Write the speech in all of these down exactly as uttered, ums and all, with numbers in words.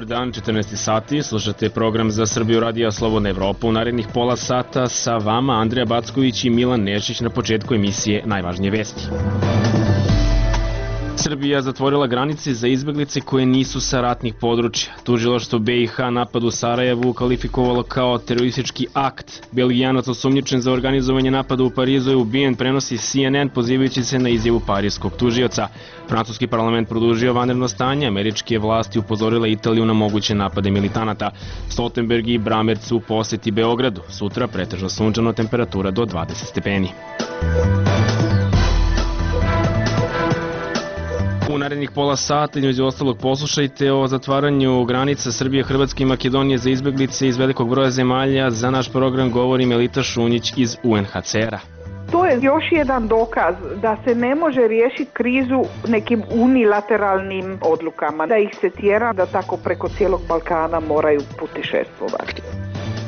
Dobar dan, četrnaest sati, slušate program za Srbiju radija Slobodna Evropa. U narednih pola sata sa vama Andreja Backović i Milan Nešić na početku emisije Najvažnije vesti. Srbija zatvorila granice za izbeglice koje nisu sa ratnih područja. Tužilaštvo B i H napad u Sarajevu kvalifikovalo kao teroristički akt. Belgijanac osumnjičen za organizovanje napada u Parizu je ubijen, prenosi C N N pozivajući se na izjavu parijskog tužioca. Francuski parlament produžio vanredno stanje, američke vlasti upozorile Italiju na moguće napade militanata. Stoltenberg i Bramerc u poseti Beogradu. Sutra pretežno sunčano, temperatura do dvadeset stepeni. U narednih pola sata, između ostalog, poslušajte o zatvaranju granica Srbije, Hrvatske i Makedonije za izbeglice iz velikog broja zemalja. Za naš program govori Melita Šunjić iz U N H C R-a. To je još jedan dokaz da se ne može riješiti krizu nekim unilateralnim odlukama, da ih se tjera da tako preko cijelog Balkana moraju putešestvovati.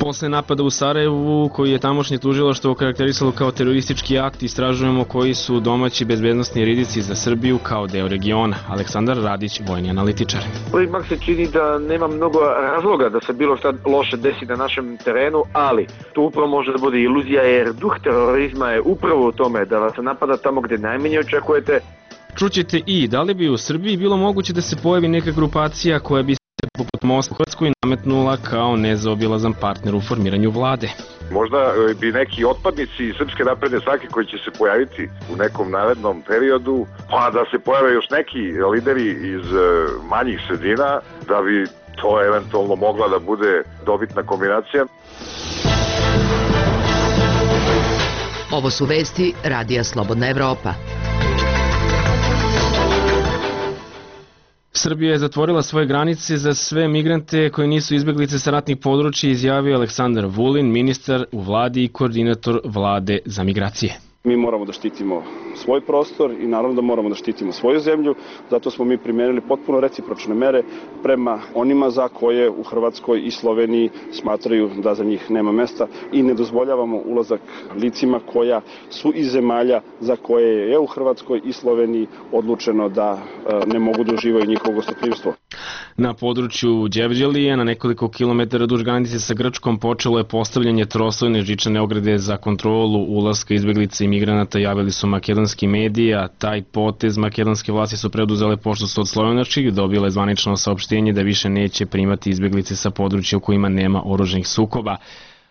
Posle napada u Sarajevu, koji je tamošnje tužilaštvo okarakterisalo kao teroristički akt, istražujemo koji su domaći bezbednosni rizici za Srbiju kao deo regiona. Aleksandar Radić, vojni analitičar. Ipak se čini da nema mnogo razloga da se bilo šta loše desi na našem terenu, ali to upravo može da bude iluzija, jer duh terorizma je upravo u tome da vas napada tamo gde najmanje očekujete. Čućete i da li bi u Srbiji bilo moguće da se pojavi neka grupacija koja bi poput Mosta u Hrvatskoj nametnula kao nezaobilazan partner u formiranju vlade. Možda bi neki otpadnici Srpske napredne stranke koji će se pojaviti u nekom narednom periodu, pa da se pojave još neki lideri iz manjih sredina, da bi to eventualno mogla da bude dobitna kombinacija. Ovo su vesti Radija Slobodna Evropa. Srbija je zatvorila svoje granice za sve migrante koji nisu izbeglice sa ratnih područja, izjavio Aleksandar Vulin, ministar u vladi i koordinator vlade za migracije. Mi moramo da štitimo svoj prostor i naravno da moramo da štitimo svoju zemlju, zato smo mi primenili potpuno recipročne mere prema onima za koje u Hrvatskoj i Sloveniji smatraju da za njih nema mesta i ne dozvoljavamo ulazak licima koja su iz zemalja za koje je u Hrvatskoj i Sloveniji odlučeno da ne mogu da uživaju njihovo gostoprimstvo. Na području Đevđelije, na nekoliko kilometara duž granice sa Grčkom, počelo je postavljanje troslojne žičane ograde za kontrolu ulaska izbeglica i migranata, javili su makedonski mediji, a taj potez makedonske vlasti su preduzele pošto su od Slovenačkih dobile zvanično saopštenje da više neće primati izbeglice sa područja u kojima nema oružanih sukoba.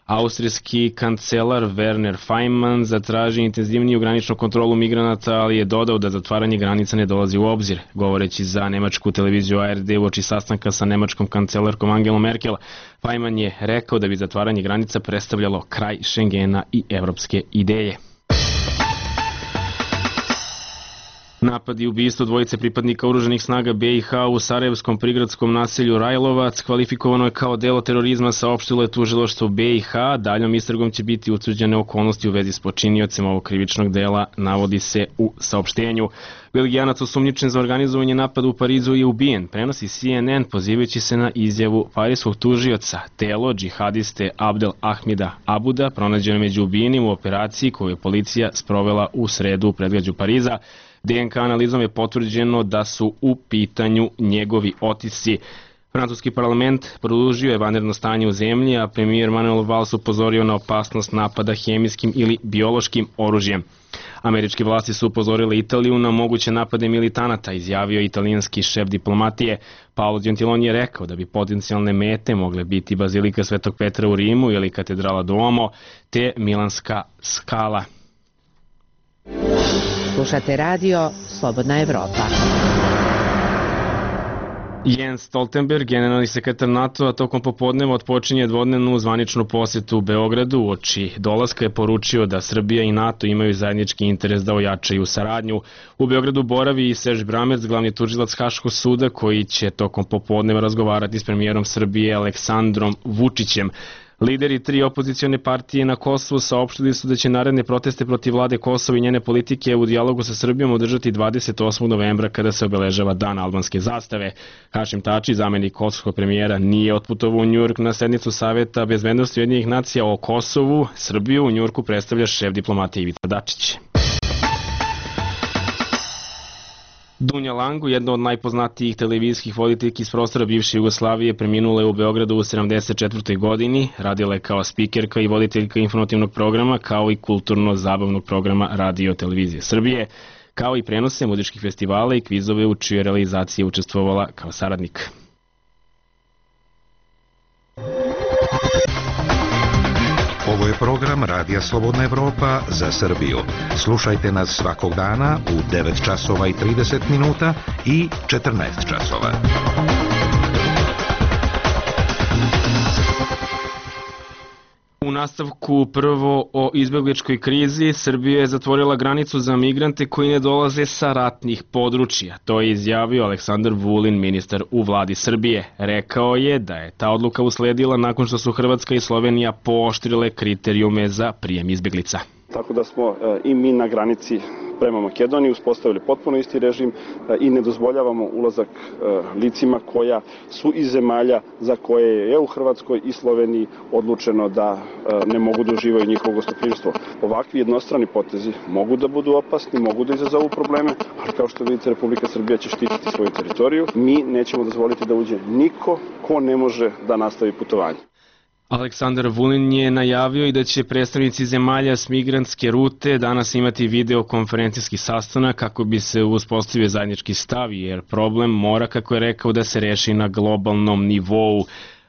Austrijski kancelar Werner Faymann zatraži intenzivniju graničnu kontrolu migranata, ali je dodao da zatvaranje granica ne dolazi u obzir. Govoreći za nemačku televiziju A R D uoči sastanka sa nemačkom kancelarkom Angelom Merkel, Faymann je rekao da bi zatvaranje granica predstavljalo kraj Schengena i evropske ideje. Napad i ubistvo dvojice pripadnika oružanih snaga B i H u sarajevskom prigradskom naselju Rajlovac kvalifikovano je kao delo terorizma, saopštilo je tužilaštvo B i H. Daljom istragom će biti utvrđene okolnosti u vezi s počiniocem ovog krivičnog dela, navodi se u saopštenju. Belgijanac osumnjičen za organizovanje napada u Parizu je ubijen, prenosi C N N pozivajući se na izjavu parijskog tužioca. Telo džihadiste Abdel Ahmida Abuda pronađeno među ubijenim u operaciji koju je policija sprovela u sredu u predgrađu Pariza. D N K analizom je potvrđeno da su u pitanju njegovi otisci. Francuski parlament produžio je vanredno stanje u zemlji, a premijer Manuel Valls upozorio na opasnost napada hemijskim ili biološkim oružjem. Američke vlasti su upozorile Italiju na moguće napade militanata, izjavio italijanski šef diplomatije. Paolo Gentiloni je rekao da bi potencijalne mete mogle biti Bazilika Svetog Petra u Rimu ili katedrala Duomo, te Milanska skala. Slušate radio Slobodna Evropa. Jens Stoltenberg, generalni sekretar NATO-a, tokom popodneva otpočinje dvodnevnu zvaničnu posetu u Beogradu. Uoči dolaska je poručio da Srbija i NATO imaju zajednički interes da ojačaju saradnju. U Beogradu boravi i Serge Bramerc, glavni tužilac Haškog suda, koji će tokom popodneva razgovarati s premijerom Srbije Aleksandrom Vučićem. Lideri tri opozicione partije na Kosovu saopštili su da će naredne proteste protiv vlade Kosova i njene politike u dijalogu sa Srbijom održati dvadeset osmog novembra kada se obeležava dan albanske zastave. Hašim Tači, zamenik kosovskog premijera, nije otputovao u Njujork na sednicu Saveta bezbednosti Ujedinjenih nacija o Kosovu. Srbiju u Njujorku predstavlja šef diplomatije Ivica Dačić. Dunja Langu, jedna od najpoznatijih televizijskih voditeljki iz prostora bivše Jugoslavije, preminula je u Beogradu u sedamdeset četvrtoj godini. Radila je kao spikerka i voditeljka informativnog programa, kao i kulturno-zabavnog programa Radio Televizije Srbije, kao i prenose muzičkih festivala i kvizove u čijoj realizaciji je učestvovala kao saradnik. Ovo je program Radija Slobodna Evropa za Srbiju. Slušajte nas svakog dana u devet časova i trideset minuta i četrnaest časova. U nastavku prvo o izbegličkoj krizi, Srbija je zatvorila granicu za migrante koji ne dolaze sa ratnih područja. To je izjavio Aleksandar Vulin, ministar u vladi Srbije. Rekao je da je ta odluka usledila nakon što su Hrvatska i Slovenija pooštrile kriterijume za prijem izbeglica. Tako da smo i mi na granici prema Makedoniji uspostavili potpuno isti režim i ne dozvoljavamo ulazak licima koja su iz zemalja za koje je u Hrvatskoj i Sloveniji odlučeno da ne mogu da uživaju njihovo gostoprimstvo. Ovakvi jednostrani potezi mogu da budu opasni, mogu da izazovu probleme, ali kao što vidite, Republika Srbija će štititi svoju teritoriju. Mi nećemo dozvoliti da uđe niko ko ne može da nastavi putovanje. Aleksandar Vulin je najavio i da će predstavnici zemalja s migrantske rute danas imati videokonferencijski sastanak kako bi se uspostavio zajednički stav, jer problem mora, kako je rekao, da se reši na globalnom nivou.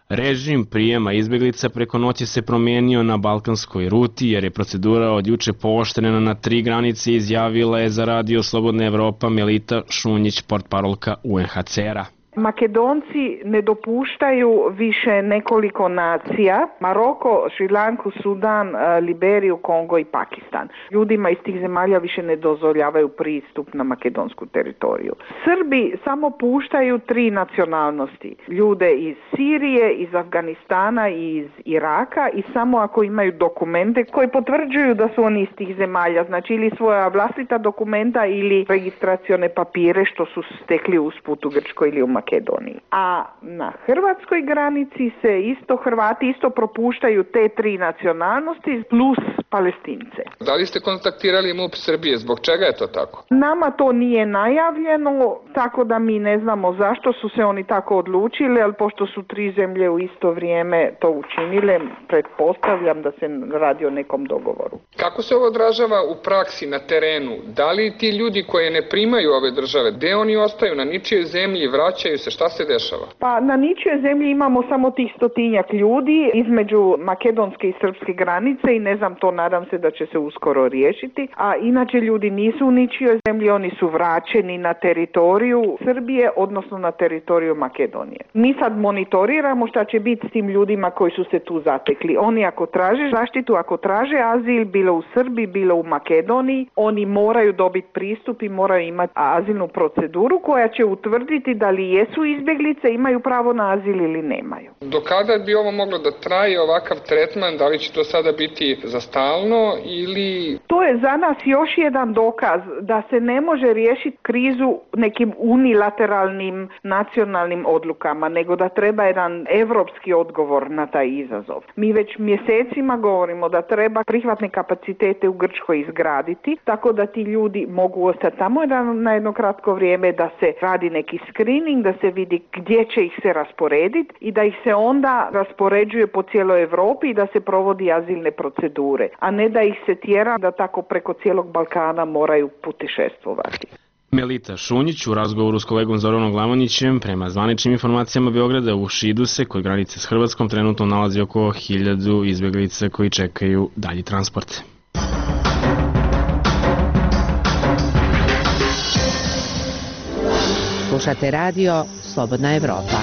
Režim prijema izbeglica preko noći se promenio na balkanskoj ruti, jer je procedura od juče pooštrena na tri granice, izjavila je za Radio Slobodna Evropa Melita Šunjić, portparolka U N H C R-a. Makedonci ne dopuštaju više nekoliko nacija, Maroko, Šrilanku, Sudan, Liberiju, Kongo i Pakistan. Ljudima iz tih zemalja više ne dozvoljavaju pristup na makedonsku teritoriju. Srbi samo puštaju tri nacionalnosti, ljude iz Sirije, iz Afganistana i iz Iraka, i samo ako imaju dokumente koji potvrđuju da su oni iz tih zemalja, znači ili svoja vlastita dokumenta ili registracione papire što su stekli usput u Grčkoj ili u Makedoniji. A na hrvatskoj granici se isto Hrvati isto propuštaju te tri nacionalnosti plus Palestince. Da li ste kontaktirali MUP Srbije? Zbog čega je to tako? Nama to nije najavljeno, tako da mi ne znamo zašto su se oni tako odlučili, ali pošto su tri zemlje u isto vrijeme to učinile, pretpostavljam da se radi o nekom dogovoru. Kako se ovo odražava u praksi na terenu? Da li ti ljudi koji ne primaju ove države, gde oni ostaju, na ničijoj zemlji, vraćaju se, šta se dešava? Pa na ničijoj zemlji imamo samo tih stotinjak ljudi između makedonske i srpske granice i ne znam, to nadam se da će se uskoro riješiti, a inače ljudi nisu u ničijoj zemlji, oni su vraćeni na teritoriju Srbije, odnosno na teritoriju Makedonije. Mi sad monitoriramo šta će biti s tim ljudima koji su se tu zatekli. Oni ako traže zaštitu, ako traže azil, bilo u Srbiji, bilo u Makedoniji, oni moraju dobiti pristup i moraju imati azilnu proceduru koja će utvrditi da li jesu izbjeglice, imaju pravo na azil ili nemaju. Do kada bi ovo moglo da traje, ovakav tretman? Da li će to sada biti za stalno ili... To je za nas još jedan dokaz da se ne može riješiti krizu nekim unilateralnim nacionalnim odlukama, nego da treba jedan evropski odgovor na taj izazov. Mi već mjesecima govorimo da treba prihvatne kapacitete u Grčkoj izgraditi, tako da ti ljudi mogu ostati tamo na jedno kratko vrijeme, da se radi neki screening, da se vidi gdje će ih se rasporediti i da ih se onda raspoređuje po cijeloj Europi i da se provodi azilne procedure, a ne da ih se tjera da tako preko cijelog Balkana moraju putešestvovati. Melita Šunjić u razgovoru s kolegom Zoranom Glavonićem, prema zvaničnim informacijama Beograda, u Šidu se kod granice s Hrvatskom trenutno nalazi oko hiljadu izbjeglica koji čekaju dalji transport. Slušate radio Slobodna Evropa.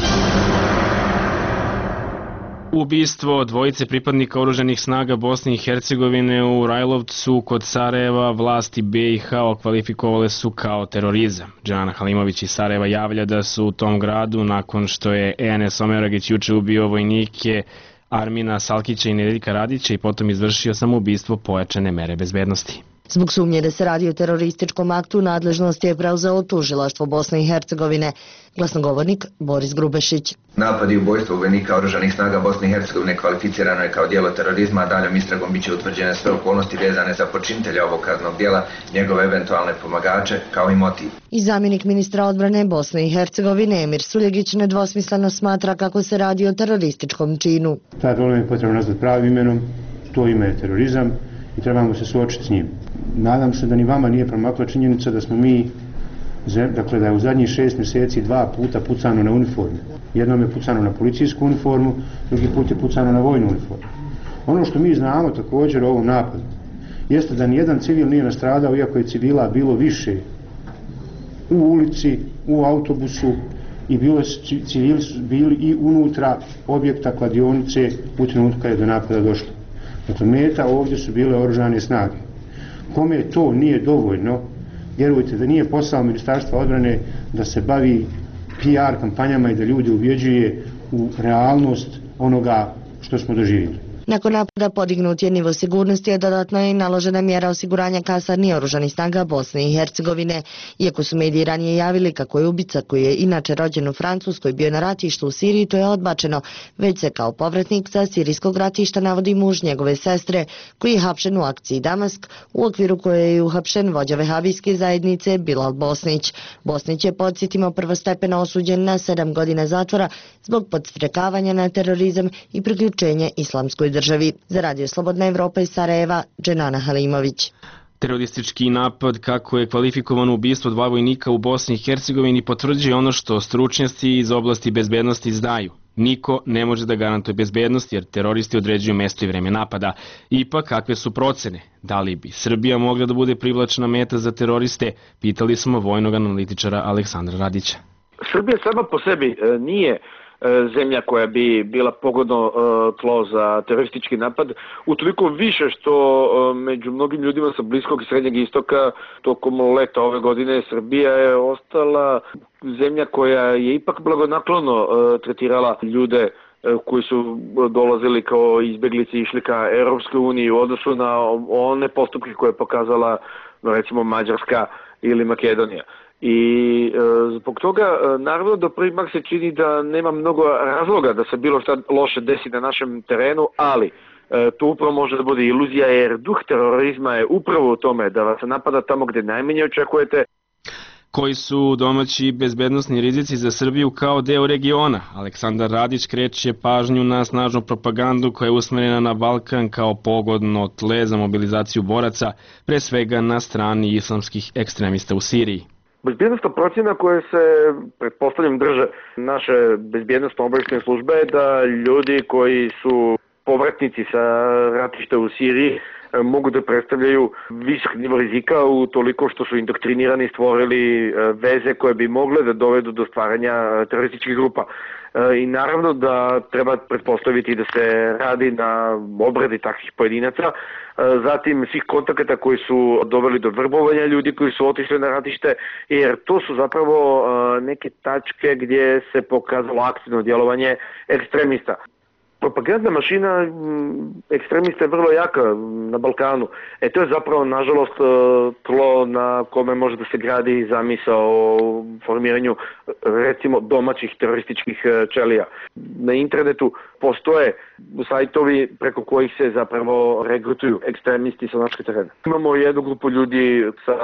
Ubistvo dvojice pripadnika oružanih snaga Bosne i Hercegovine u Rajlovcu kod Sarajeva vlasti B i H okvalifikovale su kao terorizam. Džana Halimović iz Sarajeva javlja da su u tom gradu, nakon što je E N S Omeragić juče ubio vojnike Armina Salkića i Nedeljka Radića i potom izvršio samoubistvo, pojačane mere bezbednosti. Zbog sumnje da se radi o terorističkom aktu, nadležnost je preuzelo tužilaštvo Bosne i Hercegovine. Glasnogovornik Boris Grubešić. Napad i ubojstvo vojnika oružanih snaga Bosne i Hercegovine kvalificirano je kao djelo terorizma, a daljom istragom biće utvrđene sve okolnosti vezane za počinitelja ovog kaznenog djela, njegove eventualne pomagače, kao i motiv. I zamjenik ministra odbrane Bosne i Hercegovine Emir Suljegić nedvosmisleno smatra kako se radi o terorističkom činu. Taj problem je potrebno nazvati pravim imenom, to ime je terorizam i trebamo se suočiti s njim. Nadam se da ni vama nije promakla činjenica da smo mi, dakle da je u zadnjih šest mjeseci dva puta pucano na uniformu. Jednom je pucano na policijsku uniformu, drugi put je pucano na vojnu uniformu. Ono što mi znamo također o ovom napadu jeste da nijedan civil nije nastradao, iako je civila bilo više u ulici, u autobusu i bilo civili su bili i unutra objekta kladionice u trenutku kada je do napada došlo. Dakle, meta ovdje su bile oružane snage. Kome to nije dovoljno, vjerujte da nije posao Ministarstva odbrane da se bavi P R kampanjama i da ljude ubjeđuje u realnost onoga što smo doživjeli. Nakon napada podignut je nivo sigurnosti, a dodatno je i naložena mjera osiguranja kasarni oružanih snaga Bosne i Hercegovine. Iako su mediji ranije javili kako je ubica, koji je inače rođen u Francuskoj, bio na ratištu u Siriji, to je odbačeno, već se kao povratnik sa sirijskog ratišta navodi muž njegove sestre, koji je hapšen u akciji Damask, u okviru koje je uhapšen vođa vehabijske zajednice Bilal Bosnić. Bosnić je, podsjetimo, prvostepeno osuđen na sedam godina zatvora zbog podstrekavanja na terorizam i priključenje islamskoj državi. Za Radio Slobodna Evropa iz Sarajeva, Dženana Halimović. Teroristički napad, kako je kvalifikovano ubistvo dva vojnika u Bosni i Hercegovini, potvrđuje ono što stručnjaci iz oblasti bezbednosti znaju. Niko ne može da garantuje bezbednost jer teroristi određuju mesto i vreme napada. Ipak, kakve su procene? Da li bi Srbija mogla da bude privlačna meta za teroriste? Pitali smo vojnog analitičara Aleksandra Radića. Srbija sama po sebi nije zemlja koja bi bila pogodno tlo za teroristički napad, utoliko više što među mnogim ljudima sa Bliskog i Srednjeg istoka tokom leta ove godine Srbija je ostala zemlja koja je ipak blagonaklono tretirala ljude koji su dolazili kao izbjeglice i išli ka Europskoj uniji u odnosu na one postupke koje je pokazala recimo Mađarska ili Makedonija. I e, zbog toga, e, naravno da prvi mak se čini da nema mnogo razloga da se bilo šta loše desi na našem terenu, ali e, to upravo može da bude iluzija jer duh terorizma je upravo u tome da vas napada tamo gdje najmanje očekujete. Koji su domaći bezbednosni rizici za Srbiju kao deo regiona? Aleksandar Radić kreće pažnju na snažnu propagandu koja je usmjerena na Balkan kao pogodno tle za mobilizaciju boraca, pre svega na strani islamskih ekstremista u Siriji. Bezbjednostna procjena koja se, pretpostavljam, drže naše bezbjednostno-obavještajne službe je da ljudi koji su povratnici sa ratišta u Siriji mogu da predstavljaju visok nivo rizika u toliko što su indoktrinirani i stvorili veze koje bi mogle da dovedu do stvaranja terorističkih grupa. I naravno da treba pretpostaviti da se radi na obradi takvih pojedinaca, zatim svih kontakata koji su doveli do vrbovanja ljudi koji su otišli na ratište, jer to su zapravo neke tačke gdje se pokazalo aktivno djelovanje ekstremista. Propagandna mašina ekstremista je vrlo jaka na Balkanu. E to je zapravo, nažalost, tlo na kome može da se gradi zamisao o formiranju, recimo, domaćih terorističkih ćelija. Na internetu postoje sajtovi preko kojih se zapravo regrutuju ekstremisti sa našeg terena. Imamo jednu grupu ljudi sa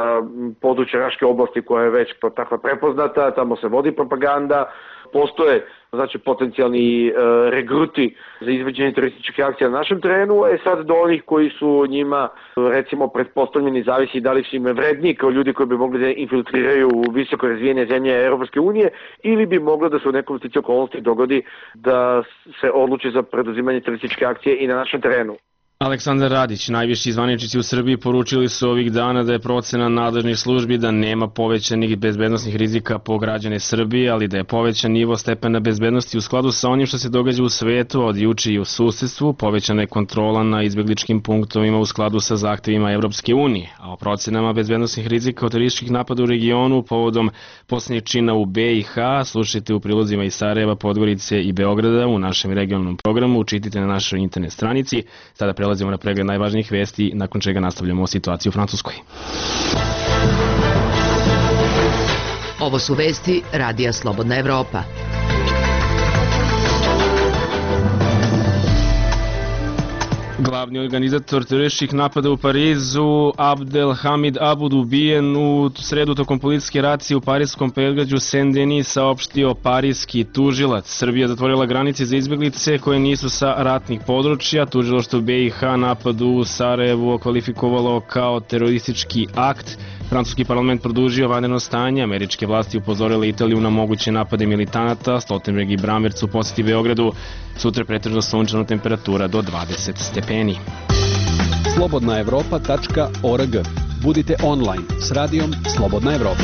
područja Raške oblasti koja je već takva prepoznata, tamo se vodi propaganda. Postoje, znači, potencijalni e, regruti za izvođenje terorističkih akcija na našem terenu, e sad do onih koji su njima, recimo, pretpostavljeni, zavisi da li su im vredni kao ljudi koji bi mogli da infiltriraju u visoko razvijene zemlje Europske unije ili bi moglo da se u nekom sličnoj okolnosti dogodi da se odluči za preduzimanje terorističke akcije i na našem terenu. Aleksandar Radić, najviši zvaničnici u Srbiji poručili su ovih dana da je procena nadležnih službi da nema povećanih bezbednosnih rizika po građane Srbije, ali da je povećan nivo stepena bezbednosti u skladu sa onim što se događa u svetu, od juče i u susedstvu, povećana je kontrola na izbjegličkim punktovima u skladu sa zahtevima Evropske unije, a o procenama bezbednosnih rizika od terorističkih napada u regionu povodom posljednjeg čina u B i H slušajte u prilozima iz Sarajeva, Podgorice i Beograda u našem regionalnom programu, učitite na našoj internet stranici. Sada prelazimo na pregled najvažnijih vesti, nakon čega nastavljamo o situaciji u Francuskoj. Ovo su vesti Radija Slobodna Evropa. Glavni organizator terorističkih napada u Parizu, Abdelhamid Abud, ubijen u sredu tokom policijske racije u parijskom predgrađu Saint-Denis, saopštio parijski tužilac. Srbija zatvorila granice za izbjeglice koje nisu sa ratnih područja. Tužilaštvo B i H napad u Sarajevu okvalifikovalo kao teroristički akt. Francuski parlament produžio vanredno stanje, američke vlasti upozorile Italiju na moguće napade militanata, Stoltenberg i Brammertz u posjeti Beogradu. Sutra pretežno sunčana temperatura do dvadeset stepeni. slobodna evropa tačka org. Budite online s radijom Slobodna Evropa.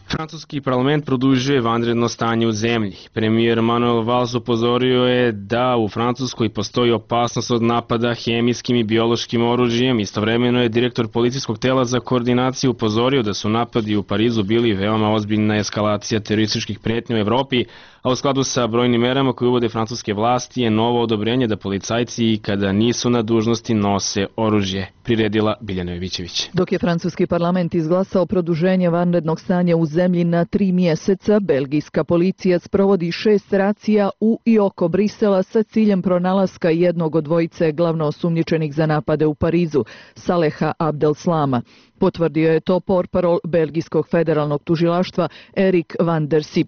Francuski parlament produžuje vanredno stanje u zemlji. Premijer Manuel Valls upozorio je da u Francuskoj postoji opasnost od napada hemijskim i biološkim oružjem. Istovremeno je direktor policijskog tela za koordinaciju upozorio da su napadi u Parizu bili veoma ozbiljna eskalacija terorističkih pretnji u Evropi, a u skladu sa brojnim merama koje uvode francuske vlasti je novo odobrenje da policajci kada nisu na dužnosti nose oružje, priredila Biljana Jovićević. Dok je francuski parlament izglasao produženje vanrednog stanja u zemlji na tri mjeseca, belgijska policija sprovodi šest racija u i oko Brisela sa ciljem pronalaska jednog od dvojice glavno osumnjičenih za napade u Parizu, Saleha Abdelslama. Potvrdio je to portparol belgijskog federalnog tužilaštva Erik van der Sip.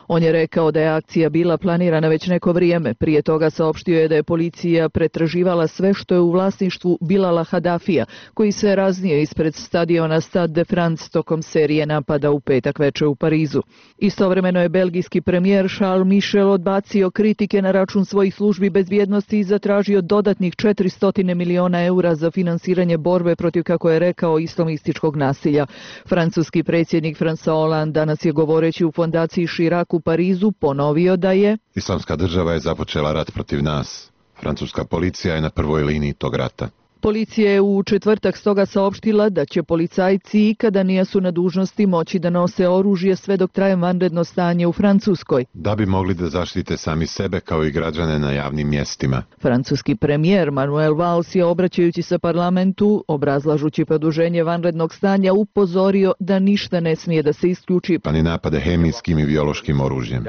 On je rekao da je akcija bila planirana već neko vrijeme. Prije toga saopštio je da je policija pretraživala sve što je u vlasništvu Bilala Hadafija, koji se raznio ispred stadiona Stade de France tokom serije napada u petak veče u Parizu. Istovremeno je belgijski premijer Charles Michel odbacio kritike na račun svojih službi bezbjednosti i zatražio dodatnih četiristo miliona eura za finansiranje borbe protiv, kako je rekao, islamističkog nasilja. Francuski predsjednik François Hollande danas je govoreći u fondaciji Chirac u Parizu ponovio da je Islamska država je započela rat protiv nas. Francuska policija je na prvoj liniji tog rata. Policija je u četvrtak stoga saopštila da će policajci i kada nisu na dužnosti moći da nose oružje sve dok traje vanredno stanje u Francuskoj. Da bi mogli da zaštite sami sebe kao i građane na javnim mjestima. Francuski premijer Manuel Valls je, obraćajući se parlamentu, obrazlažući produženje vanrednog stanja, upozorio da ništa ne smije da se isključi. Pa ni napade hemijskim i biološkim oružjem.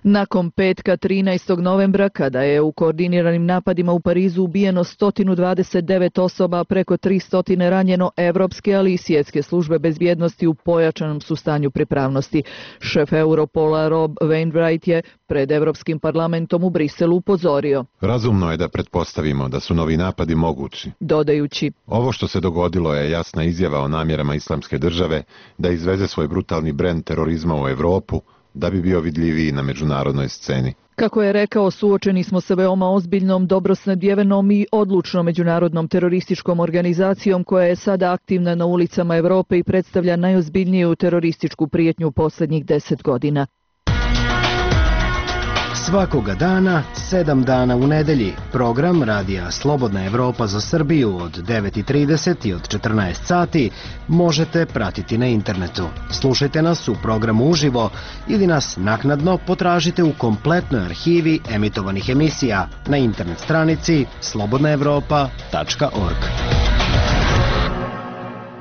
Nakon petka trinaestog novembra, kada je u koordiniranim napadima u Parizu ubijeno sto dvadeset devet osoba, preko tristo ranjeno, evropske, ali i svjetske službe bezbjednosti u pojačanom su stanju pripravnosti. Šef Europola Rob Wainwright je pred Evropskim parlamentom u Briselu upozorio. Razumno je da pretpostavimo da su novi napadi mogući. Dodajući, ovo što se dogodilo je jasna izjava o namjerama Islamske države da izveze svoj brutalni brend terorizma u Evropu, da bi bio vidljiviji na međunarodnoj sceni. Kako je rekao, suočeni smo sa veoma ozbiljnom, dobro snadjevenom i odlučnom međunarodnom terorističkom organizacijom koja je sada aktivna na ulicama Evrope i predstavlja najozbiljniju terorističku prijetnju u posljednjih deset godina. Svakoga dana, sedam dana u nedelji, program Radija Slobodna Evropa za Srbiju od devet i trideset i od četrnaest sati možete pratiti na internetu. Slušajte nas u programu uživo ili nas naknadno potražite u kompletnoj arhivi emitovanih emisija na internet stranici slobodna evropa tačka org.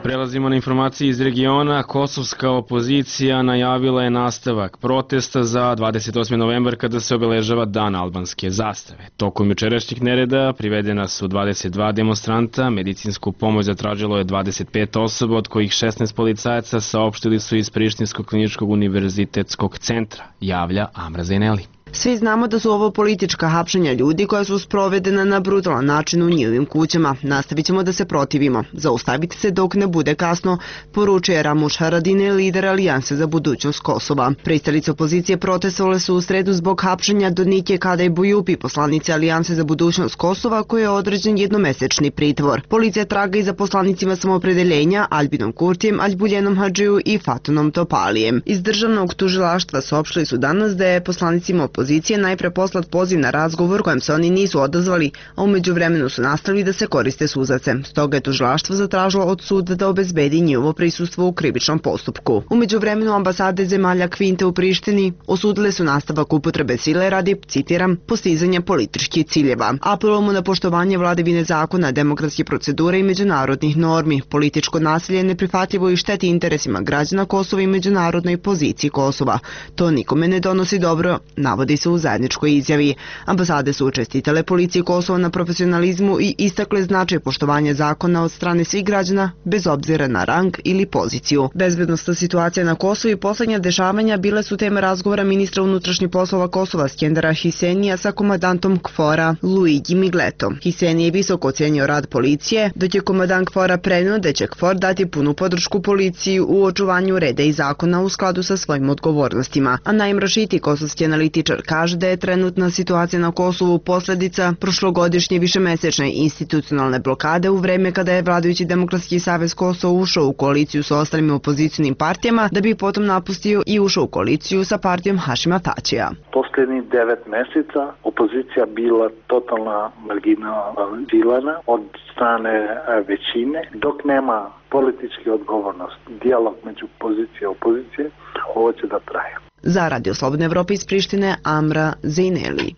Prelazimo na informacije iz regiona. Kosovska opozicija najavila je nastavak protesta za dvadeset osmi novembar kada se obeležava Dan albanske zastave. Tokom jučerašnjih nereda privedena su dvadeset dva demonstranta, medicinsku pomoć zatražilo je dvadeset pet osoba, od kojih šesnaest policajaca, saopštili su iz Prištinskog kliničkog univerzitetskog centra, javlja Amra Zaineli. Svi znamo da su ovo politička hapšenja ljudi koja su sprovedena na brutalan način u njihovim kućama. Nastavit ćemo da se protivimo. Zaustavite se dok ne bude kasno, poručuje Ramuš Haradine, lider Alijanse za budućnost Kosova. Pristalice opozicije protestovale su u sredu zbog hapšenja Donike Kadaj Bujupi, poslanice Alijanse za budućnost Kosova, koje je određen jednomesečni pritvor. Policija traga i za poslanicima samoopredeljenja Albinom Kurtijem, Aljbuljenom Hadžiju i Fatonom Topalijem. Iz državnog tužilaštva saopštili su danas da je poslanicima opozicije najpre poslat poziv na razgovor kojem se oni nisu odazvali, a umeđu vremenu su nastavili da se koriste suzavcem. Stoga je tužilaštvo zatražilo od suda da obezbedi njihovo prisustvo u krivičnom postupku. Umeđu vremenu ambasade zemalja Kvinte u Prištini osudile su nastavak upotrebe sile radi, citiram, postizanja političkih ciljeva. Apelujemo na poštovanje vladavine zakona, demokratske procedure i međunarodnih normi. Političko nasilje je neprihvatljivo i šteti interesima građana Kosova i međunarodnoj poziciji Kosova. To nikome ne donosi dobro, navodi se u zajedničkoj izjavi. Ambasade su čestitale policiji Kosova na profesionalizmu i istakle značaj poštovanja zakona od strane svih građana, bez obzira na rang ili poziciju. Bezbednosna situacija na Kosovu i poslednja dešavanja bile su tema razgovora ministra unutrašnjih poslova Kosova Skendera Hisenija sa komandantom KFOR-a Luigi Migleto. Hiseni je visoko ocenio rad policije, dok je komandant KFOR-a preneo da će KFOR dati punu podršku policiji u očuvanju reda i zakona u skladu sa svojim odgovornostima. A Naim Rašiti, kosovski analitičar, kaže da je trenutna situacija na Kosovu posledica prošlogodišnje višemesečne institucionalne blokade u vreme kada je vladajući Demokratski savez Kosova ušao u koaliciju sa ostalim opozicijonim partijama, da bi potom napustio i ušao u koaliciju sa partijom Hašima Tačija. Poslednjih devet meseca opozicija bila totalna marginalizirana od strane većine, dok nema politički odgovornost, dijalog među pozicije i opozicije, ovo će da traje. Za Radio Slobodne Evrope iz Prištine, Amra Zejneli.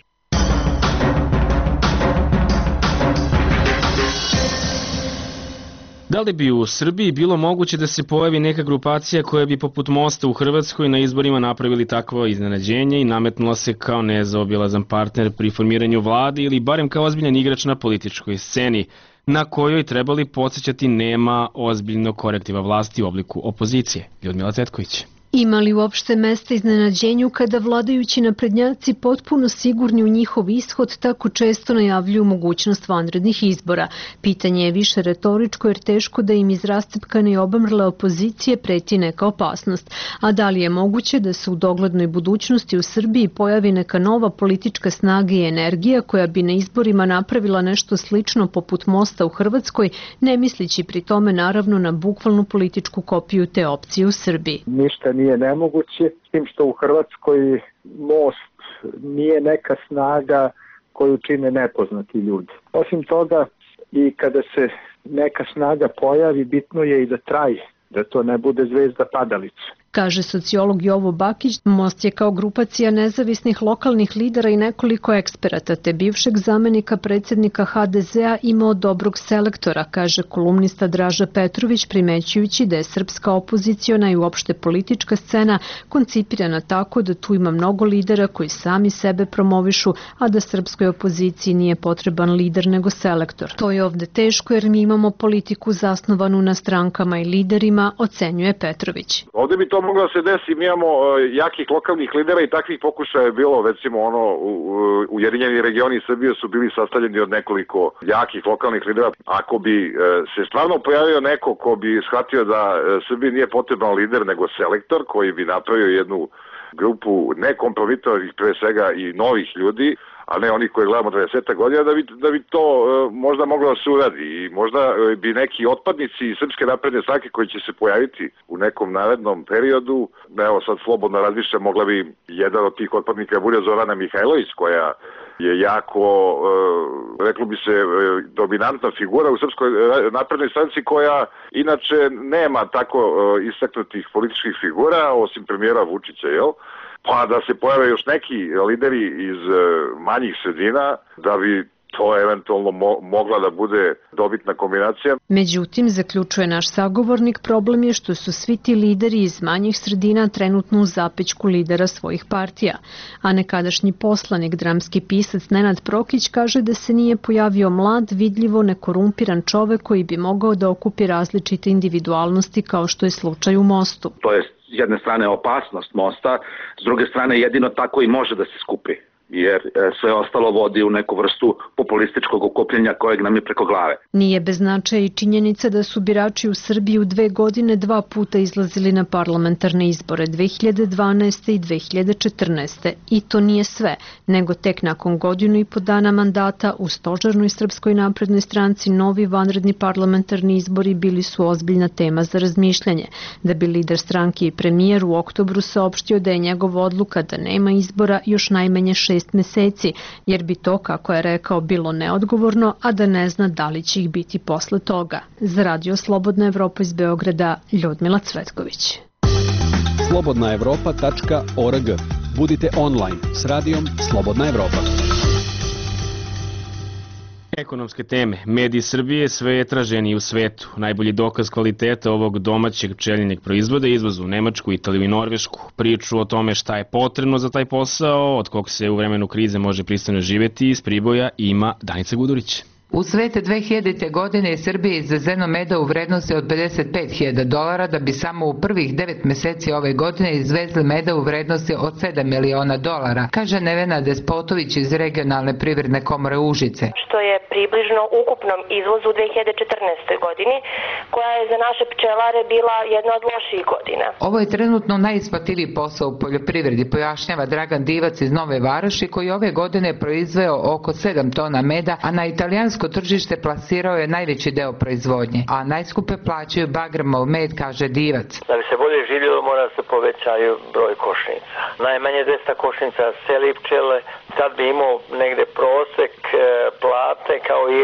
Da li bi u Srbiji bilo moguće da se pojavi neka grupacija koja bi poput Mosta u Hrvatskoj na izborima napravili takvo iznenađenje i nametnula se kao nezaobilazan partner pri formiranju vlade ili barem kao ozbiljan igrač na političkoj sceni, na kojoj trebali podsjećati nema ozbiljnog korektiva vlasti u obliku opozicije? Ljudmila Cetković. Ima li uopšte mesta iznenađenju kada vladajući naprednjaci potpuno sigurni u njihov ishod tako često najavljuju mogućnost vanrednih izbora? Pitanje je više retoričko jer teško da im iz rastepkane i obamrle opozicije preti neka opasnost. A da li je moguće da se u doglednoj budućnosti u Srbiji pojavi neka nova politička snaga i energija koja bi na izborima napravila nešto slično poput Mosta u Hrvatskoj, ne mislići pri tome naravno na bukvalnu političku kopiju te opcije u Srbiji? Ništa nije nemoguće, s tim što u Hrvatskoj Most nije neka snaga koju čine nepoznati ljudi. Osim toga, i kada se neka snaga pojavi, bitno je i da traje, da to ne bude zvezda padalica. Kaže sociolog Jovo Bakić, Most je kao grupacija nezavisnih lokalnih lidera i nekoliko eksperata, te bivšeg zamenika predsjednika ha de zea imao dobrog selektora, kaže kolumnista Draža Petrović, primećujući da je srpska opoziciona i uopšte politička scena koncipirana tako da tu ima mnogo lidera koji sami sebe promovišu, a da srpskoj opoziciji nije potreban lider nego selektor. To je ovde teško jer mi imamo politiku zasnovanu na strankama i liderima, ocenjuje Petrović. Ovde bi to moglo da se desi, mi imamo jakih lokalnih lidera i takvih pokušaja je bilo, recimo ono, Ujedinjeni regioni Srbije su bili sastavljeni od nekoliko jakih lokalnih lidera. Ako bi se stvarno pojavio neko ko bi shvatio da Srbiji nije potreban lider nego selektor, koji bi napravio jednu grupu nekompromitovanih pre svega i novih ljudi, a ne oni koji gledamo dvadeset godina, da bi, da bi to e, možda moglo da se uradi i možda bi neki otpadnici iz Srpske napredne stranke koji će se pojaviti u nekom narednom periodu, evo sad slobodno razmišljam, mogla bi jedan od tih otpadnika bude Zorana Mihajlović, koja je jako, e, reklo bi se, e, dominantna figura u Srpskoj naprednoj stranci, koja inače nema tako e, istaknutih političkih figura, osim premijera Vučića, jel? Pa da se pojave još neki lideri iz manjih sredina, da bi to eventualno mo mogla da bude dobitna kombinacija. Međutim, zaključuje naš sagovornik, problem je što su svi ti lideri iz manjih sredina trenutno u zapećku lidera svojih partija. A nekadašnji poslanik, dramski pisac Nenad Prokić kaže da se nije pojavio mlad, vidljivo nekorumpiran čovek koji bi mogao da okupi različite individualnosti kao što je slučaj u Mostu. To je s jedne strane opasnost Mosta, s druge strane jedino tako i može da se skupi. jer sve ostalo vodi u neku vrstu populističkog okupljenja kojeg nam je preko glave. Nije bez značaja i činjenica da su birači u Srbiji u dve godine dva puta izlazili na parlamentarne izbore dve hiljade dvanaeste. i dve hiljade četrnaeste. I to nije sve, nego tek nakon godinu i po dana mandata u stožernoj Srpskoj naprednoj stranci novi vanredni parlamentarni izbori bili su ozbiljna tema za razmišljanje, da bi lider stranke i premijer u oktobru saopštio da je njegova odluka da nema izbora još najmanje šest meseci, jer bi to, kako je rekao, bilo neodgovorno, a da ne zna da li će ih biti posle toga. Za Radio Slobodna Evropa iz Beograda, Ljudmila Cvetković. slobodna evropa tačka org. Budite online s radijom Slobodna Evropa. Ekonomske teme. Mediji Srbije sve je traženiji u svetu. Najbolji dokaz kvaliteta ovog domaćeg pčelinjeg proizvoda je izvoz u Nemačku, Italiju i Norvešku. Priču o tome šta je potrebno za taj posao, od kog se u vremenu krize može pristojno živeti, iz Priboja ima Danica Gudurić. U svete dve hiljadite. godine Srbije izvezeno meda u vrednosti od pedeset pet hiljada dolara, da bi samo u prvih devet meseci ove godine izvezli meda u vrednosti od sedam miliona dolara, kaže Nevena Despotović iz regionalne privredne komore Užice. Što je približno ukupnom izvozu u dve hiljade četrnaestoj. godini, koja je za naše pčelare bila jedna od loših godina. Ovo je trenutno najisplativiji posao u poljoprivredi, pojašnjava Dragan Divac iz Nove Varoši, koji ove godine proizveo oko sedam tona meda, a na italijansko tržište plasirao je najveći deo proizvodnje, a najskupe plaćaju Bagramov med, kaže Divac. Da bi se bolje živjelo, mora se povećaju broj košnica. Najmanje dvesta košnica seli pčele, sad bi imao negde prosek plate kao i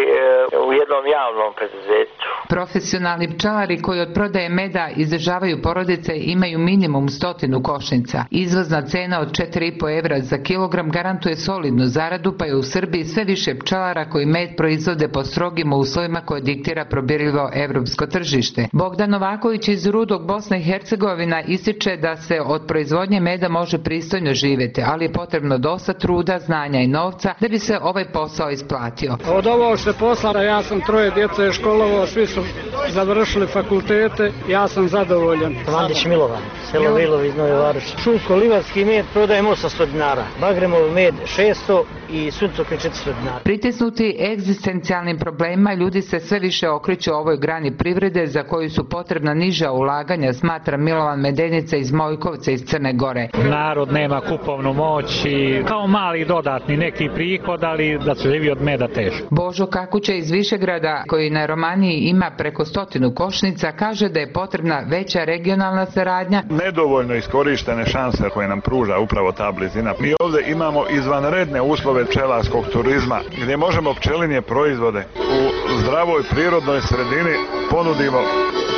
u jednom javnom preduzeću. Profesionalni pčelari koji od prodaje meda izdržavaju porodice imaju minimum stotinu košnica. Izvozna cena od četiri i po evra za kilogram garantuje solidnu zaradu, pa je u Srbiji sve više pčelara koji med proizvode po strogim uslovima koje diktira probirljivo evropsko tržište. Bogdan Novaković iz Rudog, Bosna i Hercegovina, ističe da se od proizvodnje meda može pristojno živjeti, ali je potrebno dosta truda, znanja i novca da bi se ovaj posao isplatio. Od ovo što je posla, ja sam troje djece školovao, svi su završili fakultete, ja sam zadovoljan. Mandić Milovan, selo Vilov iz Nove Varoši. Šulko livarski med prodajemo osamsto dinara, Bagremov med šesto i suncokret četiristo dinara. Pritisnuti egzistencijalnim problemima, ljudi se sve više okreću ovoj grani privrede za koju su potrebna niža ulaganja, smatra Milovan Medenica iz Mojkovca iz Crne Gore. Narod nema kupovnu moć i kao mali dodatni neki prihod, ali da se živi od meda teško. Božo Kakuća iz Višegrada, koji na Romaniji ima preko stotinu košnica, kaže da je potrebna veća regionalna saradnja. Nedovoljno iskorištene šanse koje nam pruža upravo ta blizina. Mi ovdje imamo izvanredne uslove pčelarskog turizma, gdje možemo pčelinje proizvode u zdravoj prirodnoj sredini ponudimo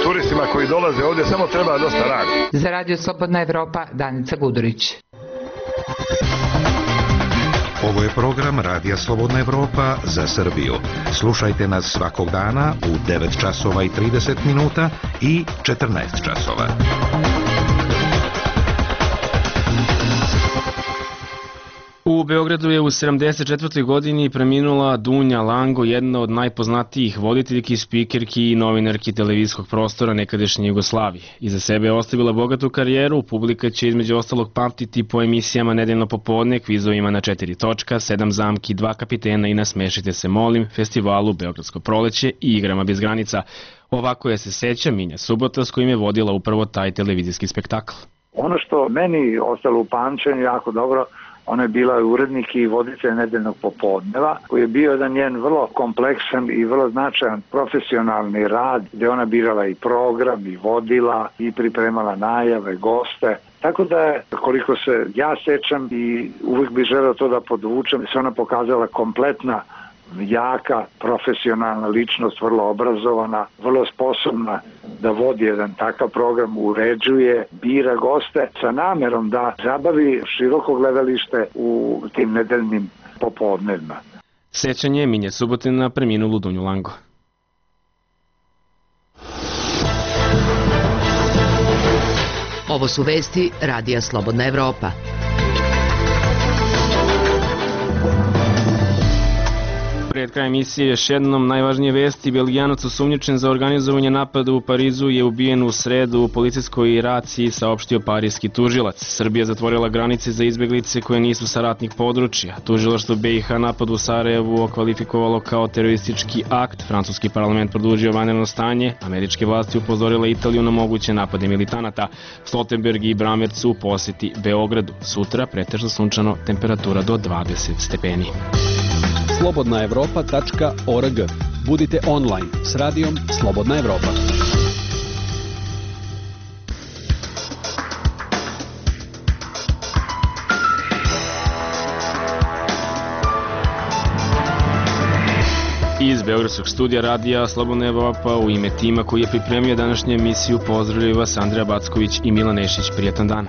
turistima koji dolaze ovdje, samo treba dosta rada. Za Radio Slobodna Evropa, Danica Gudurić. Ovo je program Radija Slobodna Evropa za Srbiju. Slušajte nas svakog dana u devet časova i trideset minuta i četrnaest časova. U Beogradu je u sedamdeset četvrtoj. godini preminula Dunja Lango, jedna od najpoznatijih voditeljki, spikerki i novinarki televizijskog prostora nekadašnje Jugoslavije. Iza sebe je ostavila bogatu karijeru, publika će između ostalog pamtiti po emisijama Nedeljno popodne, kvizovima na četiri točka, sedam zamki, dva kapitena i Nasmešite se molim, festivalu Beogradsko proleće i igrama bez granica. Ovako je se seća Minja Subota, s kojim je vodila upravo taj televizijski spektakl. Ono što meni ostalo u pamćenju jako dobro, ona je bila urednik i voditelj Nedeljnog popodneva, koji je bio jedan njen vrlo kompleksan i vrlo značajan profesionalni rad, gdje ona birala i program, i vodila, i pripremala najave, goste. Tako da je, koliko se ja sećam i uvijek bih želeo to da podvučem, se ona pokazala kompletna, jaka, profesionalna ličnost, vrlo obrazovana, vrlo sposobna da vodi jedan takav program, uređuje, bira goste sa namerom da zabavi široko gledalište u tim nedeljnim popodnevima. Sećanje Minje Subote na preminulu Dunju Lango. Ovo su vesti Radija Slobodna Evropa. Pred kraj emisije još jednom najvažnije vesti. Belgijanac osumnjičen za organizovanje napada u Parizu je ubijen u sredu u policijskoj raciji, saopštio parijski tužilac. Srbija zatvorila granice za izbeglice koje nisu sa ratnih područja. Tužilaštvo B i H napad u Sarajevu okvalifikovalo kao teroristički akt. Francuski parlament produžio vanredno stanje. Američke vlasti upozorile Italiju na moguće napade militanata. Stoltenberg i Bramerc u poseti Beogradu. Sutra pretežno sunčano, temperatura do dvadeset stepeni. slobodna evropa tačka org. Budite online s radijom Slobodna Evropa. Iz Beogradskog studija radija Slobodna Evropa u ime tima koji je pripremio današnju emisiju pozdravljaju vas Andreja Backović i Milan Nešić. Prijetan dan.